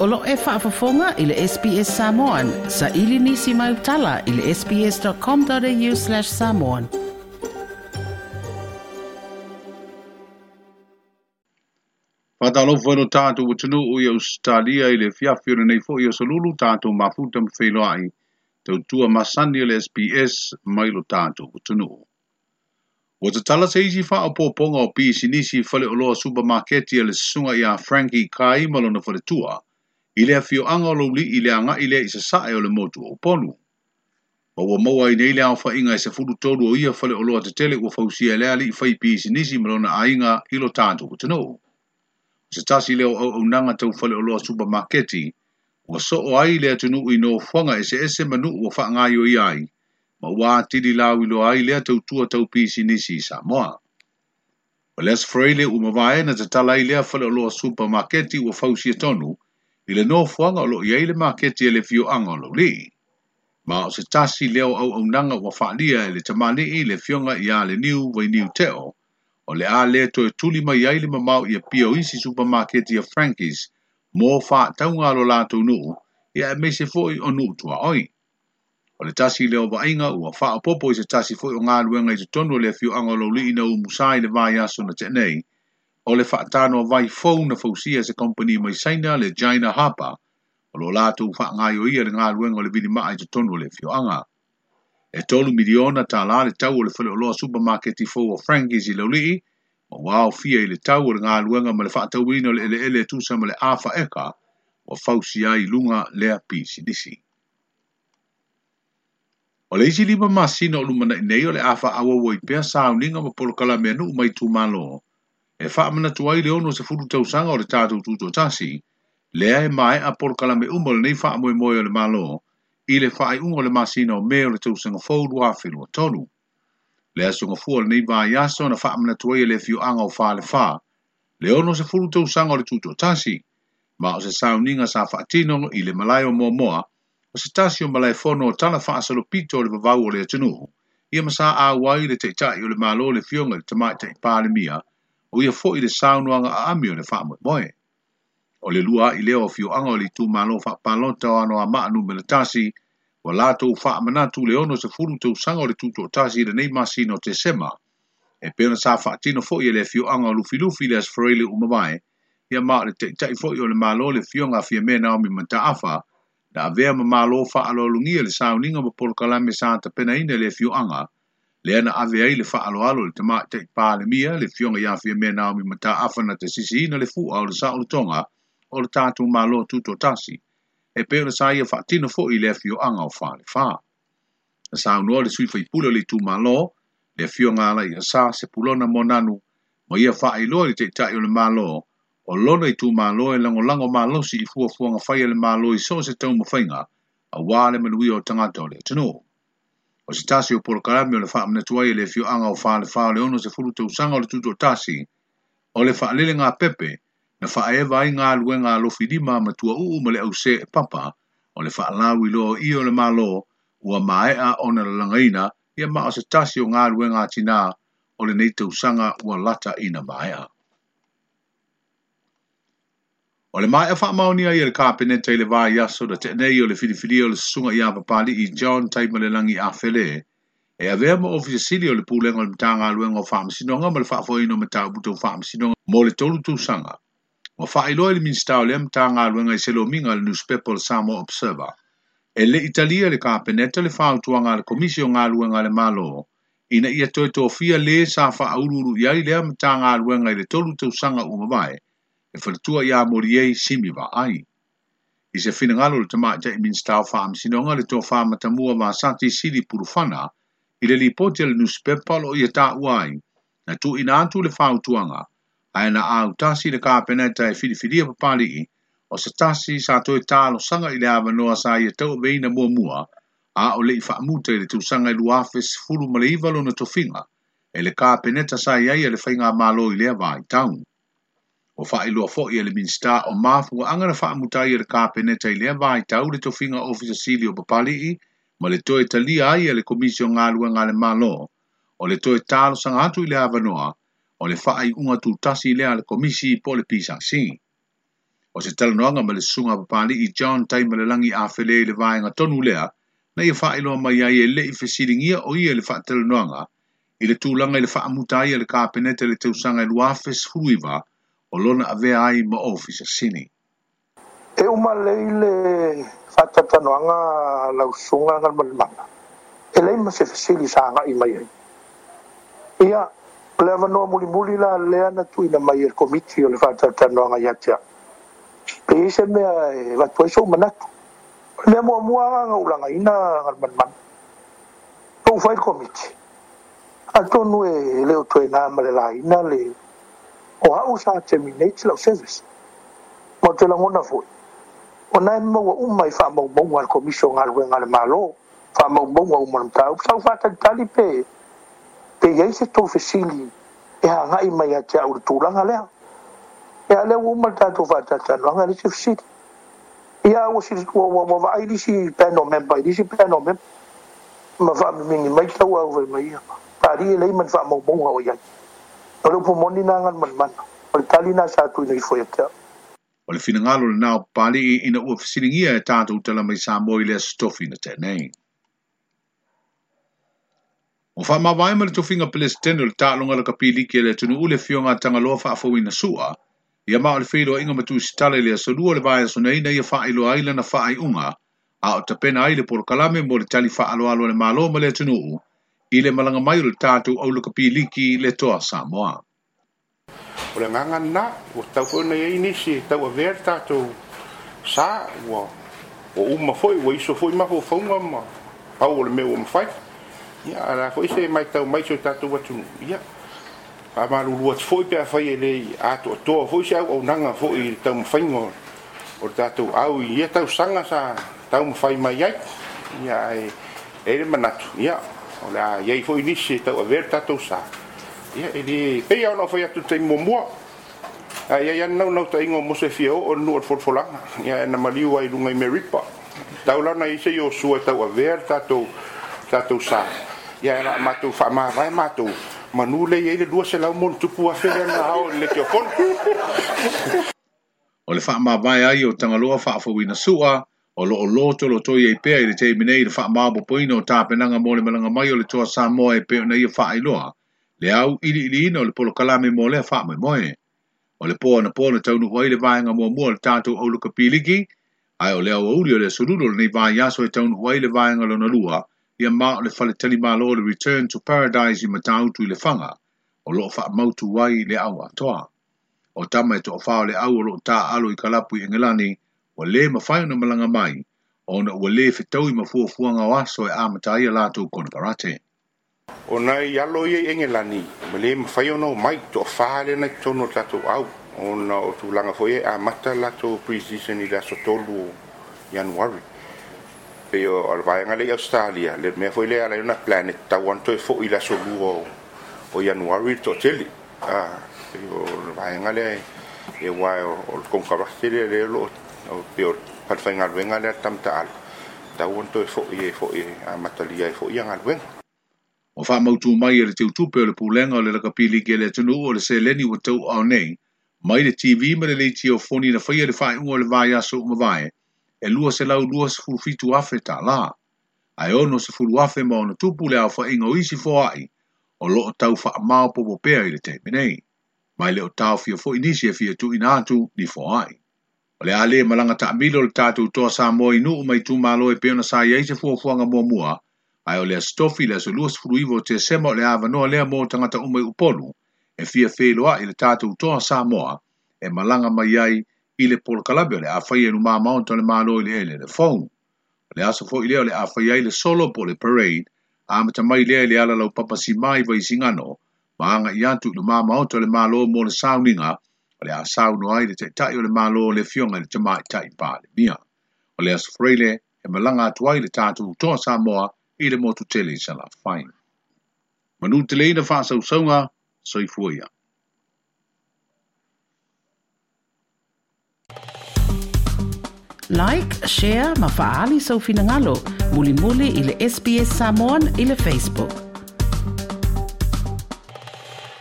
O lo o e faafofoga i le SBS Samoan. Saili nisi mau tala i le sbs.com.au/samoan. Faatalofa i lo tatou atunuu i Ausetalia i le afiafi o lenei foi aso Lulu, tatou mafuta ma feiloai, tautua masani o le SBS mai lo tatou atunuu. Ua tatala se isi faaopoopoga o pisinisi faleoloa supamaketi a le susuga ia Frankie Kai ma lona faletua i le afioaga o Laulii i le agai lea i sasae o le motu o Upolu. Ma ua maua ai nei le aofaiga e 13 o ia faleoloa tetele ua fausia e le alii fai pisinisi ma lona aiga i lo tatou atunuu. O se tasi lea o auaunaga tau faleoloa supamaketi ua soo ai le atunuu i nofoaga eseese ma nuu ua faagaoioia ai, ma ua atili lauiloa ai lea tautua tau pisinisi i Samoa. O le Aso Faraile ua mavae na tatala ai lea faleoloa supamaketi ua fausia tonu i le nofoaga o lo o i ai le maketi a le afioaga o Laulii. Ma o se tasi lea o auaunaga ua faalia e le tamalii le afioga ia Leniu Vainiu Teo, o le a le toe tuli mai ai le mamao i Apia o isi supamaketi a Frankie's mo faatauga a lo latou nuu, ia aemaise foi o nuu tuaoi. O le tasi lea o vaaiga ua faaopoopo i se tasi foi o galuega i totonu o le afioaga o Laulii na umusa i le vaiaso na tea nei, o le faatanoa vai fou na fausia e se kamupani mai Saina le China Harbour, o lo o latou faagaoioia le galuega o le vilimaa i totonu o le afioaga. E $3 miliona le tau o le faleoloa supamaketi fou o Frankie's i Laulii, ma ua aofia i le tau o le galuega ma le faatauina o le eleele e tusa ma le afa eka ua fausia ai i luga lea pisinisi. O le isi 5 masina o lumanai nei o le a faaauau ai pea sauniga ma polokalame a nuu ma itumalo e faamanatu ai le 60 tausaga o le tatou tutoatasi, lea e maea polokalame uma o lenei faamoemoe o le Malo i le faaiuga o le masina o Me o le tausaga fou 2023. Le aso gafua o lenei vaiaso na faamanatu ai e le afioaga o Falefa le 60 tausaga o le tutoatasi, ma o se sauniga sa faatino i le malae o Moamoa, o se tasi o malaefono o tala faasalopito o le vavau o le atunuu, ia ma sa auai le taitai o le Malo le afioga i le Tamaitai Palemia, o ia foi le saunoaga aami o le faamoemoe. O le lua ai lea o afioaga o le itumalo faapalota o Anoamaa Nu.1, ua latou faamanatu le 60 tausaga o le tutoatasi i lenei masina o Tesema, e pei ona sa faatino foi e le afioaga o Lufilufi le Aso Faraile ua mavae, ia ma o le taitai foi o le Malo le afioga a Fiame Naomi Mataafa, na avea ma malo faaaloalogia le sauniga ma polokalame sa tapenaina i le afioaga, lea na ave ai le faaaloalo i le Tamaitai Palemia le afioga ia Fiame Naomi Mataafa na te sisiina le fua o le saolotoga o le tatou Malo tutoatasi, e pei ona sa ia faatino foi i le afioaga o Falefa. Na saunoa le sui faipule o le itumalo, le afioga Alaiasa Sepulona Moananu, ma ia faailoa i le taitai o le Malo, o lona itumalo e lagolago malosi i fuafuaga fai a le Malo i so o se taumafaiga, auā le manuia o tagata o le atunuu. O se tasi o polokalame o le faamanatu ai e le afioaga o Falefa o le 60 tausaga o le tutoatasi, o le faalelega pepe na faaeva ai galuega a lofilima ma tuauu ma le ause e papa, o le faalauiloa o ie o le Malo ua maea ona lalagaina, ia ma o se tasi o galuega atinā o lenei tausaga ua lata ina maea. O le maea faamaonia ai e le Kapeneta i le vaiaso na tea nei o le filifilia o le susuga ia Papali'i John Taimalelagi Afele, e avea ma ofisa sili o le Pulega o le Matagaluega o Faamasinoga ma le Faafoeina o Mataupu Tau Faamasinoga mo le 3 tausaga. Ua faailoa i le Minisita o lea Matagaluega i se lomiga a le newspaper o le Samoa Observer, e le i talia le Kapeneta le fautuaga a le Komisi o Galuega a le Malo ina ia toe tofia le sa faauluulu i ai lea Matagaluega i le 3 tausaga ua mavae, e faletua ia Moriei Simi Vaai. I se finagalo o le Tamaitai Minisita o Faamasinoga le tofa matamua Vasati Sili Pulufana i le lipoti a le newspaper o lo o ia taua ai, na tuuina atu le fautuaga, ae na autasi le Kapeneta e filifilia Papali'i, o se tasi sa toe talosaga i le avanoa sa ia tauaveina muamua, a o le i faamuta i le tausaga e 2019 lona tofiga, e le Kapeneta sa i ai a le faigamalo i lea vaitau. Ua faailoa foi e le Minisita o mafuaaga na faamuta ai e le Kapeneta i lea vaitau le tofiga ofisa sili o Papali'i ma le toe talia ai e le Komisi o Galuega a le Malo, o le toe talosaga atu i le avanoa o le faaiuga tutasi lea a le Komisi po o le PSC. O se talanoaga ma le susuga a Papali'i John Taimalelagi Afele i le vaega tonu lea na ia faailoa mai ai e le i fesiligia o ia i le faatalanoaga i le tulaga i le faamuta ai a le Kapeneta i le tausaga e 2019 o lona avea ai ma Ofisa Sili. E uma lelei le faatalatalanoaga a lau susuga Galumalemana, e leai ma se fesili sa agai mai ai. Ia, o le avanoa mulimuli la lea na tuuina mai e le Komiti o le faatalatalanoaga ia te au, pe i ai se mea e avatu ai sou manatu. O le mea muamua lava na ou lagaina Galumalemana, na ou fai le Komiti, atonu e le o toe na ma le laina le o au sa terminate lau service. Ma ou te lagona foi, o na e maua uma i faamaumauga a le Komisi o Galuega a le Malo, faamaumauga uma o le mataupu. Sa ou faatalitali pe pe i ai se tou fesili e agai mai ia te au i le tulaga lea. Ia a o lea ua uma le tatou faatalatalanoaga e leai se fesili. Ia ua ua ua vaai nisi panel member i nisi panel member ma faamimini mai tauau fai mai ia Papalii e leai ma ni faamaumauga o i ai. O le upu moni lena Galumalemana, o le tali lena sa tuuina ifo ia te au. O le finagalo lena o Papalii ina ua fesiligia e tatou tala mai Samoa i le Aso Tofi na tea nei. Ua faamavae ma le tofiga Peresetene o le Taaloga Lakapi Liki a le atunuu le Afioga a Tagaloa Faafouina Su'a, ia ma o le feiloaiga ma Tusitala i le aso Lua o le vaiaso nei na ia faailoa ai lana faaiuga a o tapena ai le polokalame mo le tali faaaloalo a le Malo ma le atunuu i le malaga mai o le tatou au lakapi liki le Toa Samoa. O le agaga lena, ua tatau foi ona i ai nisi e tauavea le tatou sa, ua uma foi, ua iso foi mafaufauga ma pau o le mea ua mafai. Ia, a o le a foi se matau mai i si o tatou atunuu, ia, faamalulu atu foi pe afai e le i atoatoa foi se auaunaga foi i le taumafaiga o le tatou au i ia tausaga sa taumafai mai ai. Ia, ae e i ai le manatu, ia, o le a i ai foi nisi e tauavea le tatou sa. Ia, e le, pei lava ona ou fai atu i le taimi muamua, a i ai lava le naunautaiga o Mose e fia oo i le nuu o le folafolaga, ia, ae na maliu ai i luga i Meripa. E tatau la ona i ai se Iosua e tauavea le tatou, tatou sa. Ia, ae o le a matou faamavae matou, manu lea e i ai le 200 ma ono tupu afe lea na ao i le leitiofono. O le faamavae ai o Tagaloa Faafouina Su'a, o lo o lotolotoi ai pea i le taimi nei i le faamaopoopoina o tapenaga mo le malaga mai o le Toa Samoa e pei ona ia faailoa le auiliiliina o le polokalame mo lea faamoemoe. O le po anapo na taunuu ai le vaega muamua o le tatou au lakapi liki, ae o le aoauli o le aso Lulu o lenei vaiaso e taunuu ai le vaega lona lua, ia ma o le faletalimalo o le Return to Paradise i Matautu i Lefaga, o lo o faamautu ai le au atoa. O tama e toafa o le au o lo o taaalo i kalapu i Engelani, ua le mafai ona malaga mai, ona ua le fetaui ma fuafuaga o aso e amata ai a latou konekarate. O nai alo ia i Engelani, ua le mafai ona omai, toafa lea na i totonu o le tatou au, ona o tulaga foi ia e amata le latou pre-season i le aso 3 o Ianuari. E pei o le vaega lea i Ausetalia, le mea foi lea e ala ai ona plan e tatau lava ona toe foi i le aso 2 o Ianuari le toatele. Pei o le vaega lea e aua o le konekarate lea lea o lo o pei o le falefaigaluega lea a le tama taalo, e tatau ona toe foi e foi e amatalia ai foi ia galuega. Ua faamautu mai e le Teutupe o le Pulega o le Lakapi Liki a le atunuu o le seleni ua tauaao nei mai le TV ma le leitiofoni na faia i le faaiuga o le vaiaso ua mavae e $227,000 tala, ae $60,000 ma ona tupu le aofaiga o isi foai o lo o tau faamaopoopo pea i le taimi nei, ma e le o taofia foi nisi e fia tuuina atu ni foai. O le a le malaga taamilo le tatou Toa Samoa i nuu ma itumalo e pei ona sa i ai se fuafuaga muamua, ae o le Aso Tofi le aso 29 o Tesema o le avanoa lea mo tagata uma i Upolu e fia feiloai i le tatou Toa Samoa e malaga mai ai i le polokalame o le a faia i luma maota o le Malo i le eleele fou. O le aso foi lea o le a faia ai le solo po o le parade, amata mai lea i le ala laupapa simā i Vaisigano ma agai atu i luma maota o le Malo mo le sauniga o le a saunoa ai le Taitai o le Malo le Afioga i le Tamaitai Palemia. O le Aso Faraile e malaga atu ai le tatou Toa Samoa i le motu tele i Salafai. Manu teleina faasausauga, soifua ia. Like, share ma faaali sou finagalo mulimuli i le SBS Samoan i le Facebook.